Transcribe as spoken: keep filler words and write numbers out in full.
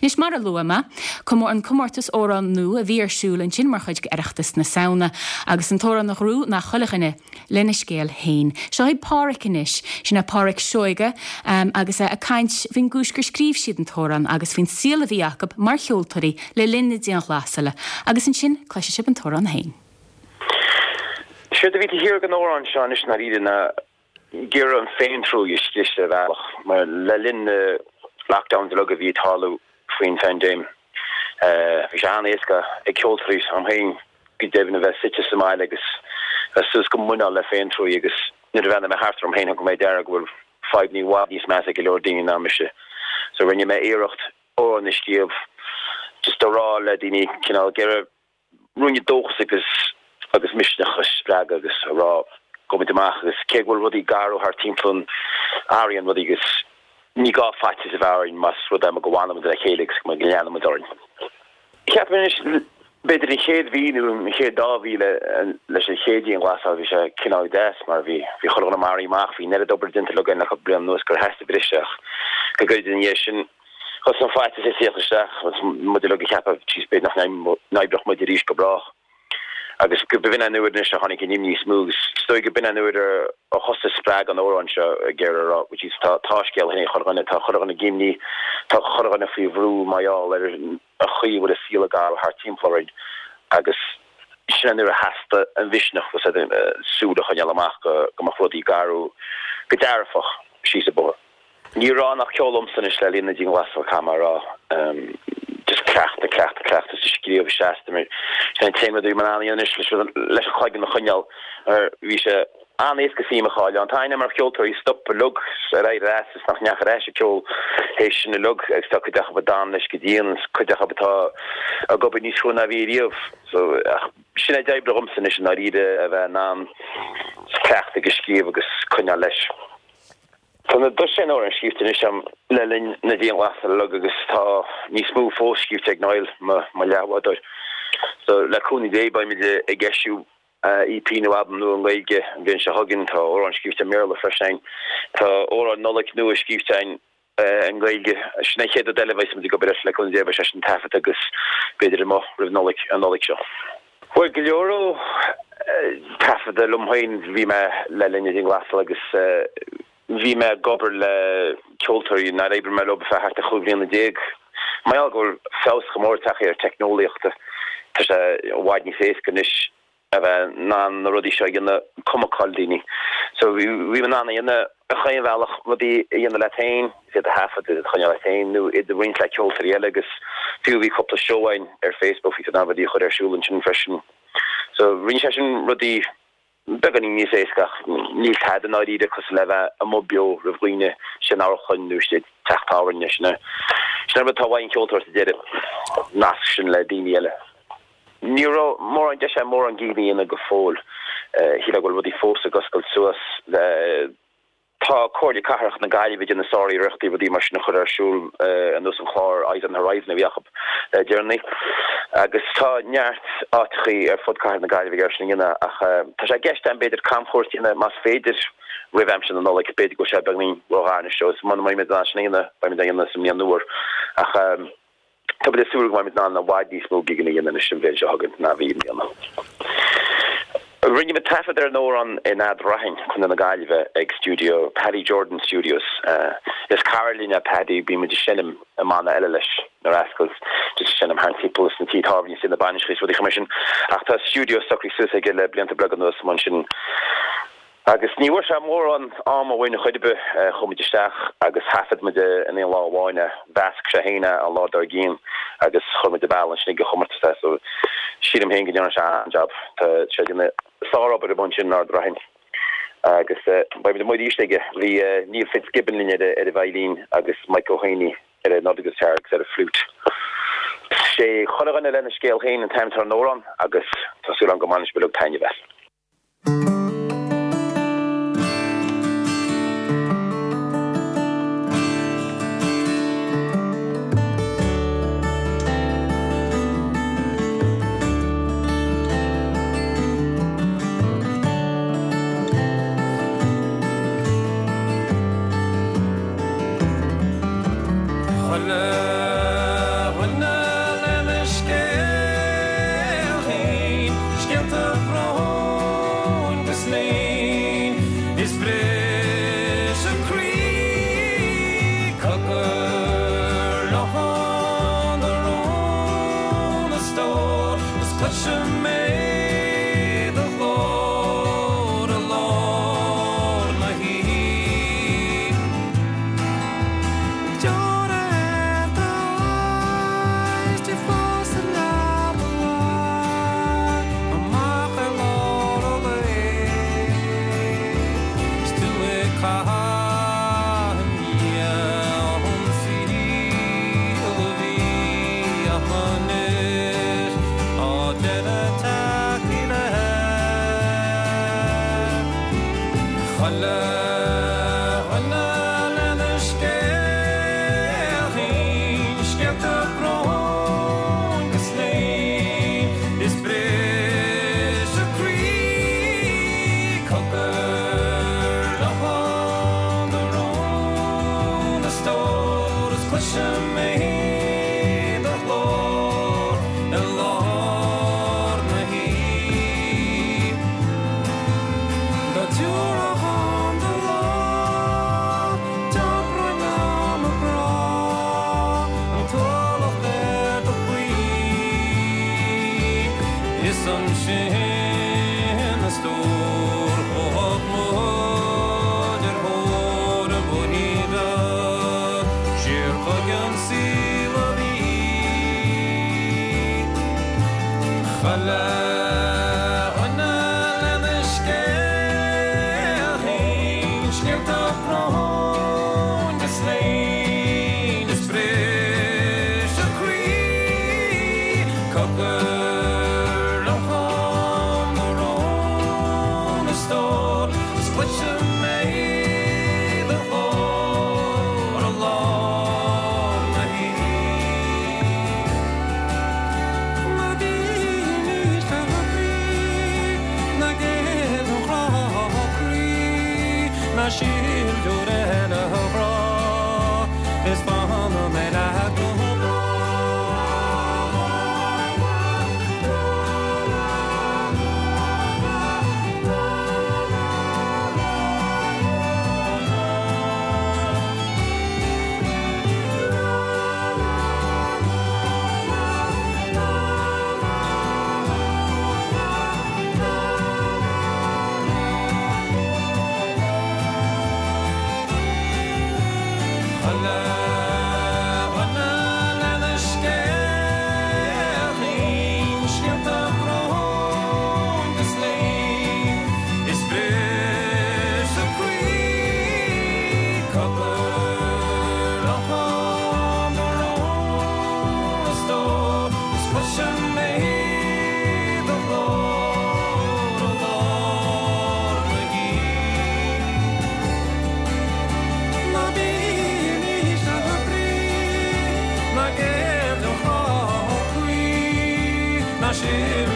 Anois mar a luaigh mé, an comórtas amhrán nua a bhí ar siúl ansin mar chuid d'Oireachtas na Samhna, agus an t-amhrán a ghnóthaigh ná Chuile Dhuine lena Scéal Féin. Seo é Páraic anois, sin é Páraic Seoige um, agus é ag caint faoin gcúis gur scríobh siad an t-amhrán agus faoin saol a bhí acu mar cheoltóirí le linn na dianghlasála, agus ansin cloisfidh sibh an t-amhrán féin. Séard a bhí taobh thiar den amhrán seo anois ná iad na ag iarraidh an féintruaig a scriosadh ar bhealach, mar le linn na lockdowns uilig a bhí ag tarlú faoin phaindéim. Bhí sé an-éasca ag ceoltóirí am féin go deimhin a bheith suite sa mbaile agus bheith suas go muineál le féintruaig agus nuair a bhreathnaigh mé thart orm féin thug mé deara go bhfuil fadhbanna i bhfad níos measa ag go leor daoine ná mise. So rinne mé iarracht amhrán a scríobh just a rá le daoine cineál ag iarraidh ruainne dóchas agus agus misneach a spreagadh agus a rá gabh muid amach agus cé go bhfuil rudaí garbh thart timpeall orainn athraíonn rudaí agus ní gá faitíos a bheith orainn más rud é go bhfanann muid le chéile agus go leanann muid orainn. Cheap mé anois b'fhéidir an chéad mhí nó an chéad dá mhí leis an chéad dianghlasáil bhí sé cineál deas mar bhí bhí chuile dhuine maraithe amach bhí an oiread obair déanta uilig againn le cúpla bliain anuas gur theastaigh briseadh ach go gairid ina dhiaidh sin thosaigh an faitíos ag tíocht isteach agus muid uilig ag ceapadh jeez b'fhéidir nach n-oibreodh muid arís go brách. Agus go b'in an uair anois a tháinig an imní níos mó agus is dóigh go b'in an uair a thosaigh spreag an amhráin seo ag iarraidh a rá which is tá tá scéal féin ag chuile dhuine, tá chuile dhuine ag imní, tá chuile dhuine faoi bhrú mar gheall ar an chaoi a bhfuil an saol ag athrú thart timpeall orainn agus sin an uair a theastaigh an mhisneach súil a choinneáil amach go go mbeadh rudaí ag athrú go dearfach síos an bóthar. Ní raibh ann ach ceol liomsa anois le linn na dianghlasála caithfidh mé a rá. Just cleachtadh, cleachtadh, cleachtadh is scríobh seasta mar sin an t-aon rud a bhí mé in ann a dhéanamh anois leis an chloigeann a choinneáil mar bhí sé an-éasca suim a chailleadh ann. Tá aithne mar cheoltóirí stop uilig ar éirigh as is nach ndeachaigh ar ais ag ceol théis sin uilig agus tá cuid acu ag dul leis go dian agus cuid acu atá ag obair níos crua ná bhí riamh. So ach sin é a d'oibrigh dhomsa anois i ndáiríre a bheith in ann cleachtadh agus scríobh agus coinneáil leis. Tá na dosaen amhrán scríobhta anois agam le linn na dianghlasála uilig agus tá níos mó fós scríobhte ag Niall, mo leathbhádóir. So, le cúnamh Dé, beimid ag eisiú EP nó albam nua i nGaeilge an bhliain seo chugainn. Tá amhráin scríobhte i mBéarla freisin againn. Tá amhrán Nollag nua scríobhte againn i nGaeilge. Sin an chéad rud eile a bheas muid ag obair air, le cúnamh Dé, beidh sé sin taifeadta agus b'fhéidir amuigh roimh Nollaig, an Nollaig seo. Bhuel, go leor ó taifeadta liom féin bhí mé le linn na dianghlasála agus Bhí mé ag obair le ceoltóirí nár oibrigh mé leo ar feadh thart ar chúig bhliana déag. Mar gheall go bhfuil feabhas chomh mór tagtha ar teicneolaíocht, tá sé i bhfad níos éasca anois a bheith in ann na rudaí seo a dhéanamh cuma cá bhfuil daoine. So bhí mé in ann a dhéanamh ar chaon bhealach, rudaí a dhéanamh leat féin, iad a thaifead, iad a choinneáil leat féin nó iad a roinnt le ceoltóirí eile agus fiú bhí cúpla seó againn ar Facebook, bhí tú in ann rudaí a chur ar siúl ansin freisin. So rinne sé sin rudaí beagáinín níos éasca ach níl tada i ndáiríre cosúil le bheith amuigh beo roimh dhaoine, istigh in amharclann nó istigh i dteach tábhairne. Sin é sin an rud atá uaidh an ceoltóir sa deireadh, nasc sin le daoine eile. Ní raibh mórán deis agam mórán gigeanna a dhéanamh go fóill. Shílfeá go bhfuil rudaí fós ag oscailt suas. Tá Comhairle Cathrach na Gaillimhe ag déanamh sáriarrachtaí rudaí mar sin a chur ar siúl ar nós an chlár Eyes on the Horizon a bhí acu le deireanaí agus tá neart áiteachaí ar fud cathair na Gaillimhe ag iarraidh sin a dhéanamh ach tá sé i gceist agam b'fhéidir camchuairt a dhéanamh más féidir roimh aimsir na Nollag, b'fhéidir go bhfuil sé beagáinín róghar anois agus muna mbeidh muid in ann sin a dhéanamh beidh muid á dhéanamh sa mbliain nua ach Tá muid ag súil go mbeidh muid in ann i bhfad níos mó gigeanna a dhéanamh anois an bhliain seo chugainn ná a bhí i mbliana. Rinne muid taifead ar an amhrán in Ard Raithin, Contae na Gaillimhe, ag stiúideo Paddy Jordan Studios. Is cara linn é Paddy, bíonn muid ag seinm i mbanna eile leis, na Rascals, just ag seinm thart timpeall sna tithe tábhairne is na bainiseacha is rudaí mar sin. Ach tá stiúideo socraithe suas aige le blianta beaga anuas ansin. Agus ní bhfuair sé mórán ama uainn ar chor ar bith. Chuaigh muid isteach agus thaifead muid é in aon lá amháin é. Mheasc sé féin é an lá dár gcionn agus chuir muid an bealach ansin ag an chomórtas é. So sílim féin go ndearna sé an-jab. Tá sé ag déanamh sárobair amuigh ansin in Ard Raithin. Agus beidh muid amuigh arís aige. Bhí Neil Fitzgibbon linn ar an veidhlín agus Mike Ó hÉanaí ar an guitar agus ar an flute. Sé Chuile Dhuine Lena Scéal Féin an t-ainm atá ar an amhrán agus tá súil agam go mbainfidh sibh uilig taitneamh as. Chuile Cloisim mé do ghlór i lár na hoíche. Deora ar d'aghaidh is tú fós sa leaba lag, amach ar lár an lae. Is tú ag caitheamh i ndiaidh an saoil a bhí ach anois á déanamh tacaí le Chuile dhuine lena scéal féin, scéalta bróin 'gus léin, is briseadh croí cogar locháin do rún a stór is cloisim mé do ghlór i lár na hoíche. Dá dtabharfadh dhom do lámh, d'iompróinn liom mo ghrá, an t-ualach ar do chroí. Is ansin a stór chuaigh muid ar thóir an bhóithrín bheag, siar chuig an saol a bhí. Chuile dhuine lena scéal féin, scéalta bróin 'gus léin, is briseadh croí cogar locháin do rún a stór, is cloisim mé do ghlór i lár na hoíche. Ná bímis le brí, ná géill don chrá croí, ná sil deoir eile a ghrá, is fanfaidh mé leat go Chuile dhuine lena scéal féin, scéalta bróin 'gus léin, is briseadh croí cogar locháin do rún a stór, is cloisim mé do ghlór i lár na hoíche. Ná bímis le brí, ná géill don chrá croí, ná sil